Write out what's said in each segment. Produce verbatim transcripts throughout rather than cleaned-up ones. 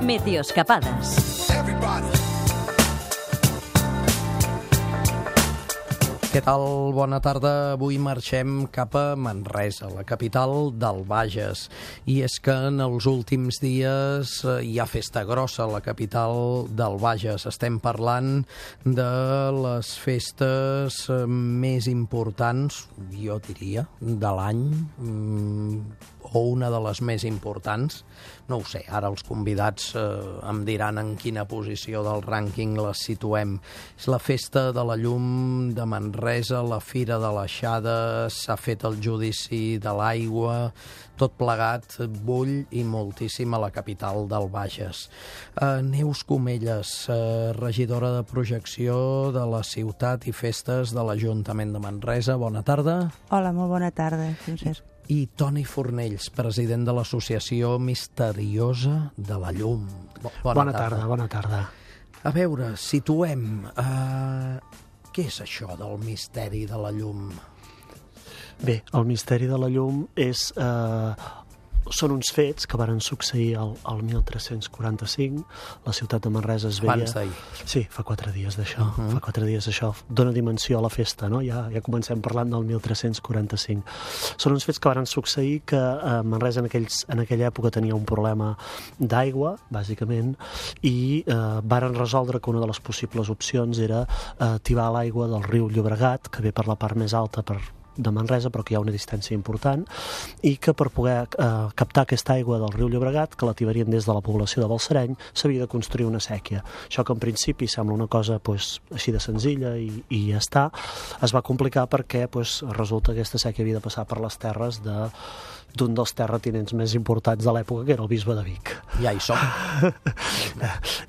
Meteoscapades. Què tal? Bona tarda. Avui marxem cap a Manresa, la capital del Bages. I és que en els últims dies hi ha festa grossa a la capital del Bages. Estem parlant de les festes més importants, jo diria, de l'any, o una de les més importants. No ho sé, ara els convidats eh, em diran en quina posició del rànquing les situem. És la festa de la llum de Manresa, la Fira de l'Aixada, s'ha fet el judici de l'aigua, tot plegat bull i moltíssim a la capital del Bages. Eh, Neus Comelles, eh, regidora de projecció de la ciutat i festes de l'Ajuntament de Manresa. Bona tarda. Hola, molt bona tarda, Francesc. I Toni Fornells, president de l'Associació Misteriosa de la Llum. Bona, bona tarda. tarda, bona tarda. A veure, situem. Uh, què és això del misteri de la llum? Bé, el misteri de la llum és... Uh, són uns fets que varen succeir al, al mil tres-cents quaranta-cinc. La ciutat de Manresa es veia... Abans d'ahir. Sí, fa quatre dies d'això. Uh -huh. Fa quatre dies d'això. Dóna dimensió a la festa, no? Ja, ja comencem parlant del mil tres-cents quaranta-cinc. Són uns fets que varen succeir que eh, Manresa en, aquells, en aquella època tenia un problema d'aigua, bàsicament, i eh, varen resoldre que una de les possibles opcions era eh, tibar l'aigua del riu Llobregat, que ve per la part més alta per de Manresa, però que hi ha una distància important, i que per poder eh, captar aquesta aigua del riu Llobregat, que la tibarien des de la població de Balsareny, s'havia de construir una sèquia. Això que en principi sembla una cosa pues, així de senzilla i, i ja està, es va complicar perquè pues, resulta que aquesta sèquia havia de passar per les terres de d'un dels terratinents més importants de l'època, que era el bisbe de Vic. Ja hi som.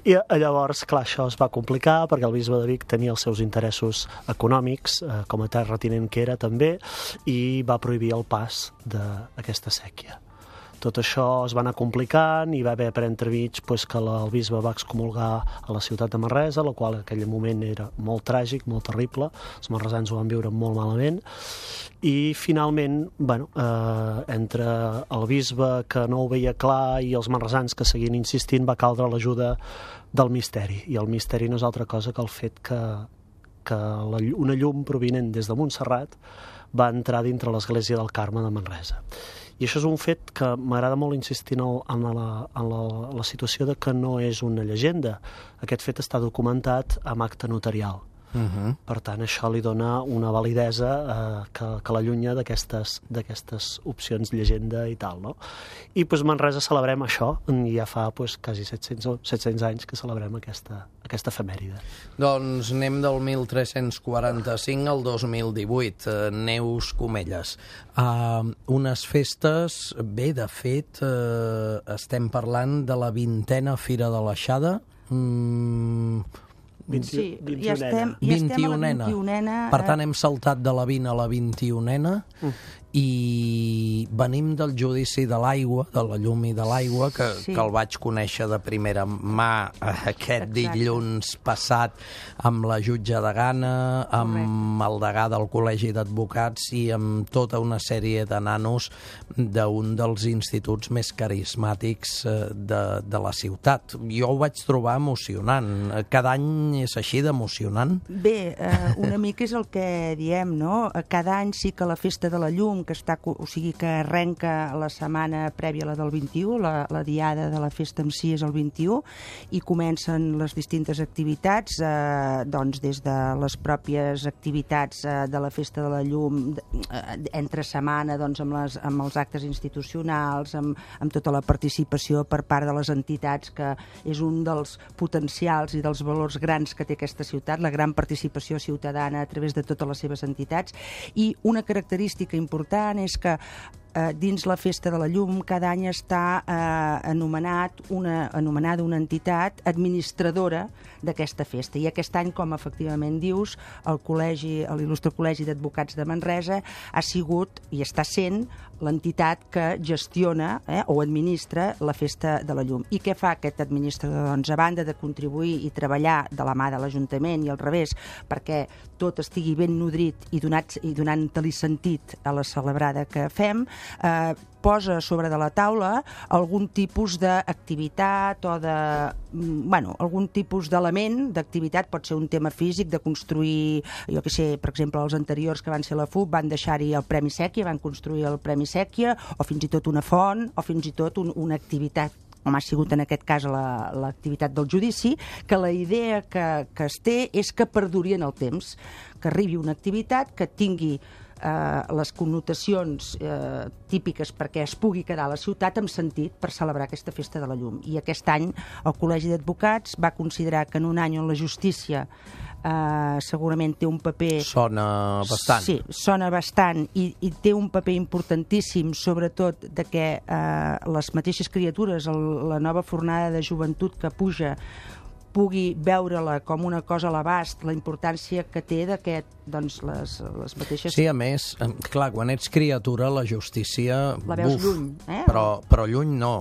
I llavors, clar, això es va complicar perquè el bisbe de Vic tenia els seus interessos econòmics, eh, com a terratinent que era també, i va prohibir el pas d'aquesta sèquia. Tot això es va anar complicant i va haver per entremig pues, que la, el bisbe va excomulgar a la ciutat de Manresa, la qual en aquell moment era molt tràgic, molt terrible. Els manresans ho van viure molt malament. I finalment, bueno, eh, entre el bisbe que no ho veia clar i els manresans que seguien insistint, va caldre l'ajuda del misteri. I el misteri no és altra cosa que el fet que, que la, una llum provinent des de Montserrat va entrar dintre l'església del Carme de Manresa. I això és un fet que m'agrada molt insistir en, el, en, la, en la, la situació de que no és una llegenda. Aquest fet està documentat amb acte notarial. Uh-huh. Per tant, això li dona una validesa eh, que, que l'allunya d'aquestes d'aquestes opcions llegenda i tal, no? I doncs Manresa celebrem això, i ja fa pues, quasi set-cents anys que celebrem aquesta, aquesta efemèride. Doncs anem del mil tres-cents quaranta-cinc al dos mil divuit. Uh, Neus Comelles. Uh, unes festes, bé, de fet, uh, estem parlant de la vintena Fira de l'Aixada. Mm, Sí, ja estem, ja estem a la vint-i-unena. Per tant, hem saltat de la vint a la vint-i-unena mm. i venim del judici de l'aigua, de la llum i de l'aigua, que, sí. que el vaig conèixer de primera mà aquest Exacte. dilluns passat amb la jutge de Gana, amb Correcte. el degà del Col·legi d'Advocats i amb tota una sèrie de nanos d'un dels instituts més carismàtics de, de la ciutat. Jo ho vaig trobar emocionant. Cada any és així d'emocionant? Bé, eh, una mica és el que diem, no? Cada any sí que la Festa de la Llum, que està, o sigui, que arrenca la setmana prèvia a la del vint-i-u, la, la diada de la festa en si és el vint-i-u, i comencen les distintes activitats, eh, doncs des de les pròpies activitats eh, de la Festa de la Llum, eh, entre setmana, doncs amb, les, amb els actes institucionals, amb, amb tota la participació per part de les entitats, que és un dels potencials i dels valors grans que té aquesta ciutat, la gran participació ciutadana a través de totes les seves entitats. I una característica important és que eh, dins la Festa de la Llum cada any està eh, anomenat una, anomenada una entitat administradora d'aquesta festa. I aquest any, com efectivament dius, el col·legi, l'il·lustre Col·legi d'Advocats de Manresa ha sigut i està sent l'entitat que gestiona eh, o administra la Festa de la Llum. I què fa aquest administrador? Doncs, a banda de contribuir i treballar de la mà de l'Ajuntament i al revés, perquè tot estigui ben nodrit i, donat, i donant-li sentit a la celebrada que fem, eh, posa sobre de la taula algun tipus d'activitat o de... bueno, algun tipus d'element d'activitat, pot ser un tema físic, de construir, jo què sé, per exemple, els anteriors que van ser la F U B van deixar-hi el Premi Sèquia, van construir el Premi Sèquia, o fins i tot una font, o fins i tot un, una activitat, com ha sigut en aquest cas l'activitat del judici, que la idea que, que es té és que perduri en el temps, que arribi una activitat que tingui eh, les connotacions eh, típiques perquè es pugui quedar a la ciutat amb sentit per celebrar aquesta festa de la llum. I aquest any el Col·legi d'Advocats va considerar que en un any on la justícia Uh, segurament té un paper... Sona bastant. Sí, sona bastant i, i té un paper importantíssim, sobretot de que uh, les mateixes criatures, el, la nova fornada de joventut que puja, pugui veure-la com una cosa a l'abast, la importància que té d'aquest, doncs, les, les mateixes... Sí, a més, clar, quan ets criatura, la justícia... La veus buf, lluny, eh? Però, però lluny no.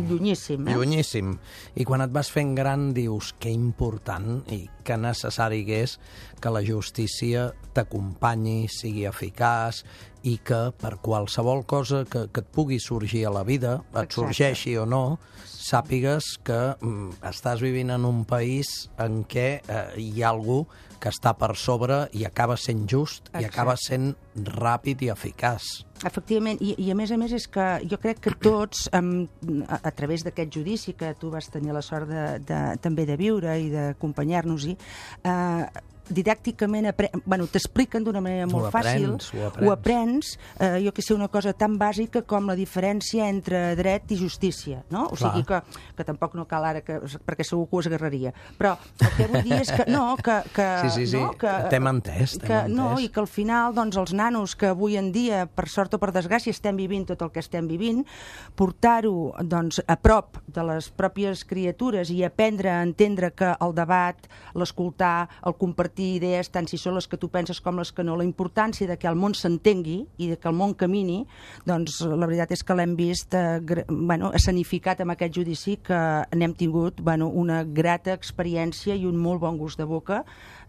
Llunyíssim, eh? Llunyíssim. I quan et vas fent gran dius que important i que necessari que és que la justícia t'acompanyi, sigui eficaç i que per qualsevol cosa que, que et pugui sorgir a la vida, et Exacte. sorgeixi o no, sàpigues que mm, estàs vivint en un país en què eh, hi ha algú que està per sobre i acaba sent just Exacte. i acaba sent ràpid i eficaç. Efectivament, i, i a més a més és que jo crec que tots, um, a, a través d'aquest judici que tu vas tenir la sort de, de, també de viure i d'acompanyar-nos-hi, eh, didàcticament bueno, t'expliquen d'una manera molt ho aprens, fàcil, ho aprens, ho aprens eh, jo que sé, una cosa tan bàsica com la diferència entre dret i justícia, no? O Clar. sigui que, que tampoc no cal ara, que, perquè segur que ho esgarraria, però el que vull dir és que no, que... que Sí, sí, sí, no, que, t'hem entès, t'hem que, entès. No, i que al final, doncs, els nanos que avui en dia, per sort o per desgràcia, estem vivint tot el que estem vivint, portar-ho, doncs, a prop de les pròpies criatures i aprendre a entendre que el debat, l'escoltar, el compartir idees, tant si són les que tu penses com les que no, la importància de que el món s'entengui i de que el món camini, doncs la veritat és que l'hem vist eh, bueno, escenificat amb aquest judici, que n'hem tingut bueno, una grata experiència i un molt bon gust de boca.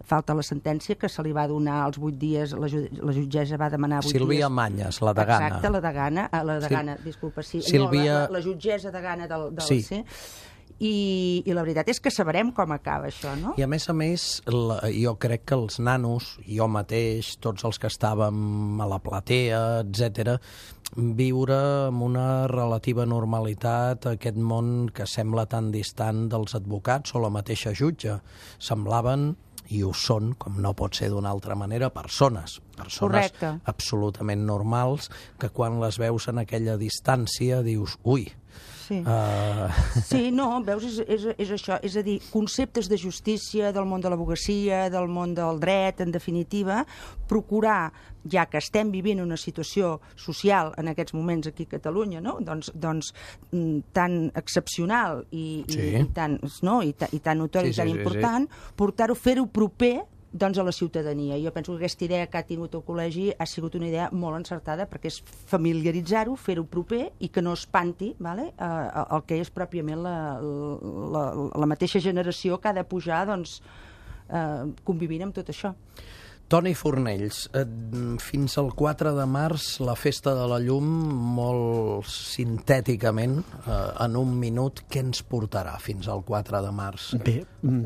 Falta la sentència, que se li va donar als vuit dies, la, ju la jutgessa va demanar vuit Sílvia dies. Manyes, la degana. Exacte, la degana, la degana, sí. disculpa, sí. Sílvia... No, la, la jutgessa degana del, del sí. C. I, i la veritat és que sabrem com acaba això, no? I a més a més, la, jo crec que els nanos, jo mateix, tots els que estàvem a la platea, etcètera, viure amb una relativa normalitat aquest món que sembla tan distant dels advocats o la mateixa jutge. Semblaven, i ho són, com no pot ser d'una altra manera, persones. Persones Correcte. absolutament normals, que quan les veus en aquella distància dius, ui, Sí. Uh... sí, no, veus, és, és, és això, és a dir, conceptes de justícia, del món de l'advocacia, del món del dret, en definitiva, procurar, ja que estem vivint una situació social en aquests moments aquí a Catalunya, no? doncs, doncs tan excepcional i, sí. i, i, tan, no? I, ta, i tan notori sí, i tan sí, important, sí, sí. portar-ho, fer-ho proper doncs a la ciutadania. Jo penso que aquesta idea que ha tingut el col·legi ha sigut una idea molt encertada, perquè és familiaritzar-ho, fer-ho proper i que no espanti, vale? uh, el que és pròpiament la, la, la mateixa generació que ha de pujar doncs, uh, convivint amb tot això. Toni Fornells, eh, fins al quatre de març la Festa de la Llum, molt sintèticament, eh, en un minut, què ens portarà fins al quatre de març? Bé,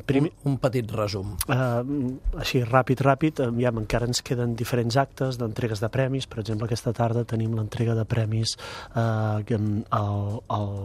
primer... Un, un petit resum. Uh, així, ràpid, ràpid, ja encara ens queden diferents actes d'entregues de premis. Per exemple, aquesta tarda tenim l'entrega de premis uh, al... al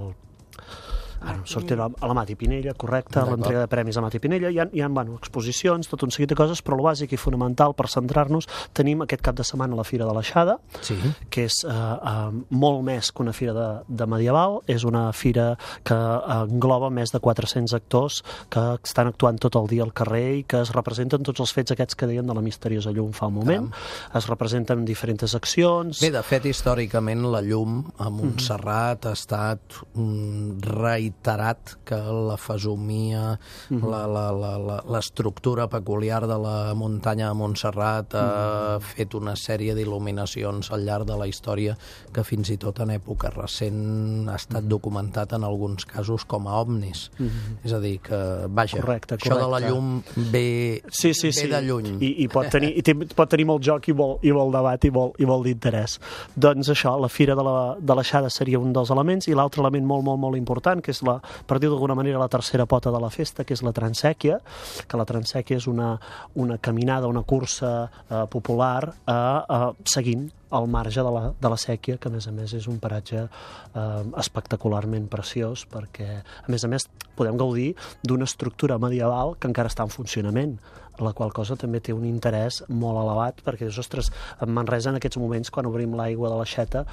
Ara em sortirà a la Mati Pinella, correcte, l'entrega de premis a Mati Pinella. Hi ha, hi ha bueno, exposicions, tot un seguit de coses, però el bàsic i fonamental per centrar-nos, tenim aquest cap de setmana la Fira de l'Aixada, sí. que és eh, eh, molt més que una fira de, de medieval, és una fira que eh, engloba més de quatre-cents actors que estan actuant tot el dia al carrer i que es representen tots els fets aquests que deien de la misteriosa llum fa un moment. Caram. Es representen diferents accions. Bé, de fet, històricament, la llum a Montserrat mm-hmm. ha estat mm, reiterat que la fesomia, mm-hmm. la, la, la, la, l'estructura peculiar de la muntanya de Montserrat ha mm-hmm. fet una sèrie d'il·luminacions al llarg de la història que fins i tot en època recent ha estat mm-hmm. documentat en alguns casos com a ovnis. Mm-hmm. És a dir, que, vaja, correcte, correcte. Això de la llum ve, sí, sí, ve sí. de lluny. I, i, pot tenir, i té, pot tenir molt joc i molt, i molt debat i molt, i molt d'interès. Doncs això, la Fira de la, de l'Aixada seria un dels elements, i l'altre element molt, molt, molt important, que és, la, per dir d'alguna manera, la tercera pota de la festa, que és la transèquia, que la transèquia és una, una caminada, una cursa eh, popular eh, eh, seguint al marge de la, de la sèquia, que a més a més és un paratge eh, espectacularment preciós, perquè a més a més podem gaudir d'una estructura medieval que encara està en funcionament, la qual cosa també té un interès molt elevat, perquè, ostres, en Manresa en aquests moments, quan obrim l'aigua de l'Aixeta,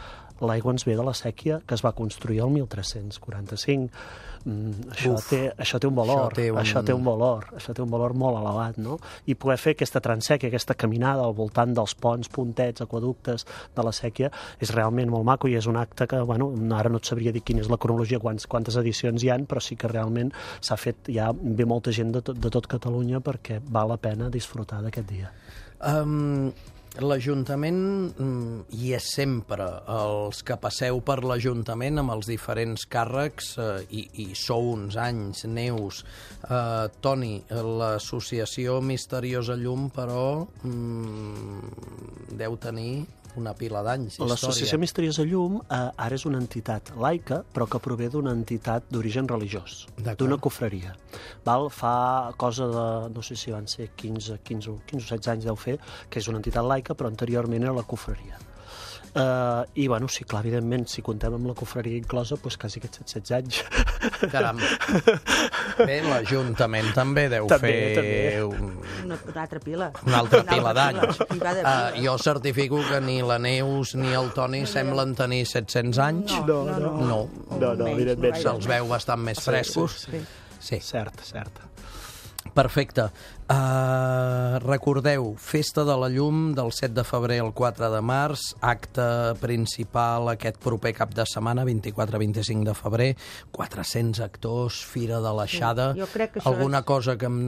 l'aigua ens ve de la sèquia que es va construir el mil tres-cents quaranta-cinc. Mm, això, Uf, té, això té un valor, això té un... això té un valor, això té un valor molt elevat, no? I poder fer aquesta transèquia, aquesta caminada al voltant dels ponts, puntets, aquaductes de la sèquia, és realment molt maco, i és un acte que, bueno, ara no et sabria dir quina és la cronologia, quants, quantes edicions hi han, però sí que realment s'ha fet, ja ve molta gent de tot, de tot Catalunya perquè val la pena disfrutar d'aquest dia. Um... L'Ajuntament hi és sempre. Els que passeu per l'Ajuntament amb els diferents càrrecs, eh, i, i sou uns anys, Neus, eh, Toni, l'associació Misteriosa Llum, però mm, deu tenir una pila d'anys d'història. L'Associació Misteriosa Llum eh, ara és una entitat laica, però que prové d'una entitat d'origen religiós, d'una cofreria. Val? Fa cosa de, no sé si van ser quinze, quinze, quinze o setze anys deu fer, que és una entitat laica, però anteriorment era la cofreria. Uh, I, bueno, sí, clar, evidentment, si contem amb la cofreria inclosa, doncs quasi aquests setze anys. Caram. Bé, l'Ajuntament també deu també, fer... També. Un... Una, una altra pila. Una altra una pila d'anys. Uh, jo certifico que ni la Neus ni el Toni no, semblen tenir set-cents anys. No, no, no. No, no, no evidentment. Se'ls veu bastant més frescos. Sí, sí, sí. sí. Cert, cert. Perfecte. Uh, recordeu, Festa de la Llum del set de febrer al quatre de març, acte principal aquest proper cap de setmana, vint-i-quatre a vint-i-cinc de febrer, quatre-cents actors, Fira de l'Aixada. Sí, jo crec que això alguna és... cosa que em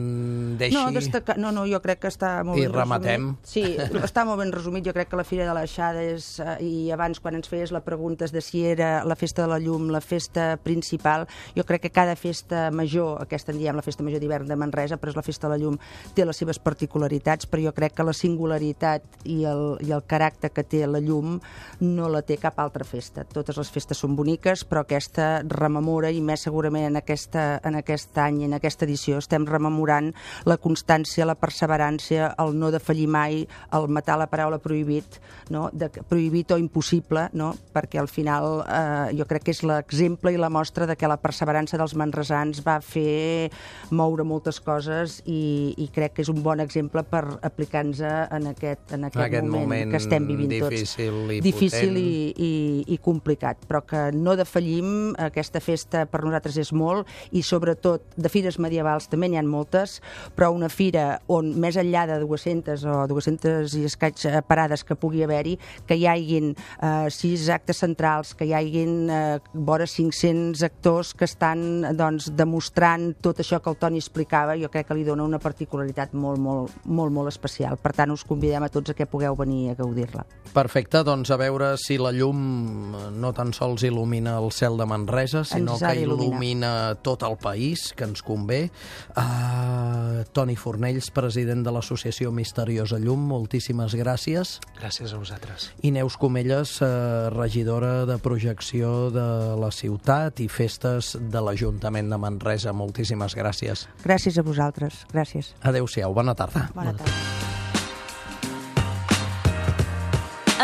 deixi... No, destacar... no, no, jo crec que està molt I ben rematem. resumit. Sí, està molt ben resumit. Jo crec que la Fira de l'Aixada és... I abans, quan ens feies la pregunta de si era la Festa de la Llum, la festa principal, jo crec que cada festa major, aquesta en diem la Festa Major d'Hivern de Manresa, però és la Festa de la Llum, té les seves particularitats, però jo crec que la singularitat i el, i el caràcter que té la llum no la té cap altra festa. Totes les festes són boniques, però aquesta rememora, i més segurament en, aquesta, en aquest any, en aquesta edició, estem rememorant la constància, la perseverància, el no defallir mai, el matar la paraula prohibit, no? De, prohibit o impossible, no? Perquè al final eh, jo crec que és l'exemple i la mostra de que la perseverança dels manresans va fer moure moltes coses, i, i crec que és un bon exemple per aplicar-nos en aquest, en aquest, aquest moment, moment que estem vivint difícil tots. I difícil i, i, i complicat, però que no defallim. Aquesta festa per nosaltres és molt, i sobretot de fires medievals també n'hi ha moltes, però una fira on més enllà de dues-centes o dues-centes i escaig parades que pugui haver-hi, que hi haguin eh, sis actes centrals, que hi haguin eh, vora cinc-cents actors que estan doncs, demostrant tot això que el Toni explicava, jo crec que li dona una particularitat molt, molt, molt, molt especial. Per tant, us convidem a tots a que pugueu venir a gaudir-la. Perfecte, doncs a veure si la llum no tan sols il·lumina el cel de Manresa, sinó que il·lumina tot el país, que ens convé. Uh, Toni Fornells, president de l'Associació Misteriosa Llum, moltíssimes gràcies. Gràcies a vosaltres. I Neus Comelles, uh, regidora de projecció de la ciutat i festes de l'Ajuntament de Manresa. Moltíssimes gràcies. Gràcies a vosaltres. Gràcies. Adéu-siau. Bona tarda. Bona tarda.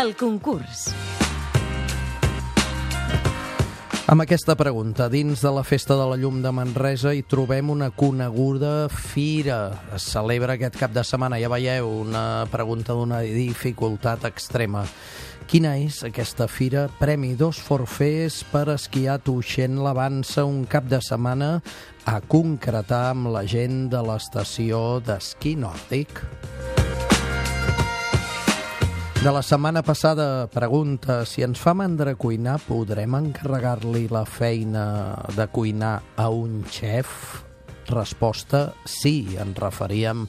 El concurs. Amb aquesta pregunta, dins de la Festa de la Llum de Manresa hi trobem una coneguda fira. Es celebra aquest cap de setmana, ja veieu, una pregunta d'una dificultat extrema. Quina és aquesta fira? Premi dos forfers per esquiar Tuixén l'Avança un cap de setmana a concretar amb la gent de l'estació d'esquí nòrdic. De la setmana passada pregunta si ens fa mandra cuinar, podrem encarregar-li la feina de cuinar a un xef? Resposta, sí, ens referíem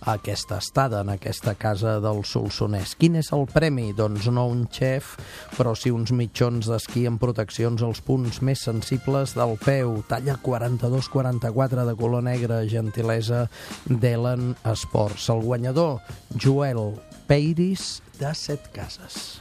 a aquesta estada en aquesta casa del Solsonès. Quin és el premi? Doncs no un xef, però sí uns mitjons d'esquí amb proteccions als punts més sensibles del peu. Talla quaranta-dos quaranta-quatre de color negre, gentilesa d'Ellen Sports. El guanyador, Joel Peiris, de Set Cases.